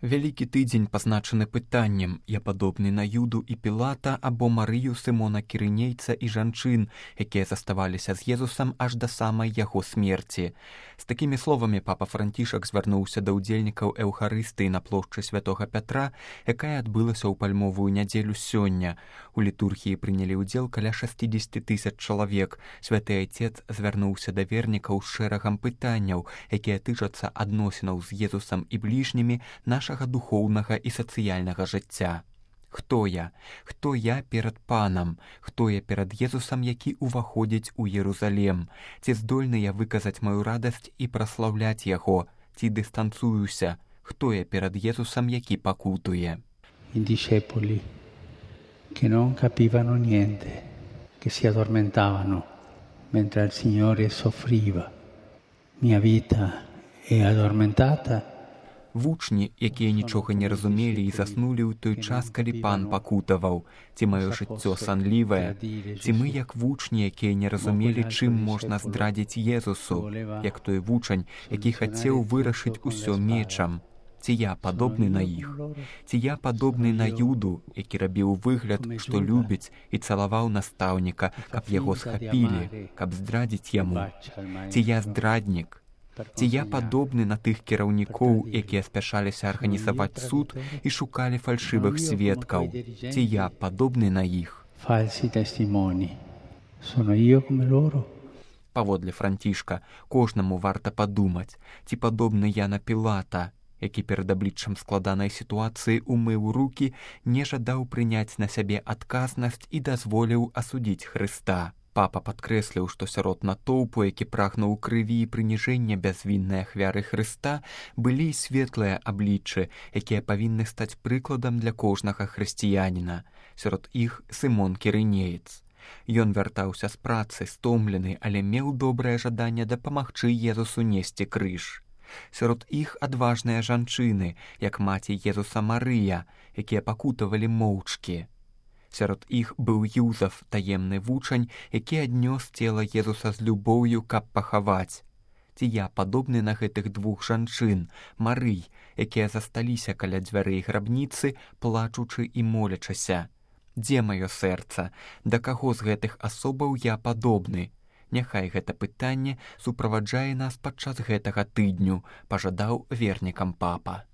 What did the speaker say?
Вялікі тыдзень пазначаны пытаннем: я падобны на Юду і Пілата або Марыю Сымона Кірынейца і жанчын, якія заставаліся з Езусам аж да самай яго смерці. З такімі словамі папа Францішак звярнуўся да ўдзельнікаў эўхарыстыі на плошчы святога Пятра, якая адбылася ў пальмовую нядзелю сёння. У літургіі прынялі ўдзел каля 60 000 чалавек. Святы Айцец звярнуўся да вернікаў з шэрагам пытанняў, якія тычацца адносінаў з Езусам і бліжнімі нашага духоўнага і сацыяльнага жыцця. Хто я? Хто я перад Панам? Хто я перад Езусам, які ўваходзіць у Єрусалем? Ці здольны я выказаць маю радасць і праслаўляць яго? Ці дыстанцуюся? Хто я перад Езусам, які пакутуе? I discepoli che non capivano niente, che si addormentavano mentre il Signore soffriva. Mia vita è addormentata. Вучні, якія нічога не разумелі і заснулі ў той час, калі Пан пакутаваў. Ці маё жыццё санлівае? Ці мы, як вучні, якія не разумелі, чым можна здрадзіць Езусу, як той вучань, які хацеў вырашыць усё мечам? Ці я падобны на іх? Ці я падобны на Юду, які рабіў выгляд, што любіць, і цалаваў настаўніка, каб яго схапілі, каб здрадзіць яму? Ці я здраднік? Ці я падобны на тых кіраўнікоў, якія спяшаліся арганізаваць суд і шукалі фальшывых сведкаў? Ці я падобны на іх? Паводле Францішка, кожнаму варта падумаць, ці падобны я на Пілата, які перад абліччам складанай сітуацыі умыў рукі, не жадаў прыняць на сябе адказнасць і дазволіў асудзіць Хрыста. Папа падкрэсліў, што сярод натоўпу, які прагнуў крыві і прыніжэння бязвіннай ахвяры Хрыста, былі светлыя абліччы, якія павінны стаць прыкладам для кожнага хрысціяніна. Сярод іх Сымон Кірынеец. Ён вяртаўся з працы, стомлены, але меў добрае жаданне дапамагчы Езусу несці крыж. Сярод іх адважныя жанчыны, як маці Езуса Марыя, якія пакутавалі моўчкі. Сярод іх быў Юзаф, таемны вучань, які аднёс цела Езуса з любоўю, каб пахаваць. Ці я падобны на гэтых двух жанчын, Марый, якія засталіся каля дзвярэй грабніцы, плачучы і молячася? Дзе маё сэрца? Да каго з гэтых асобаў я падобны? Няхай гэта пытанне суправаджае нас падчас гэтага тыдню, пажадаў вернікам папа.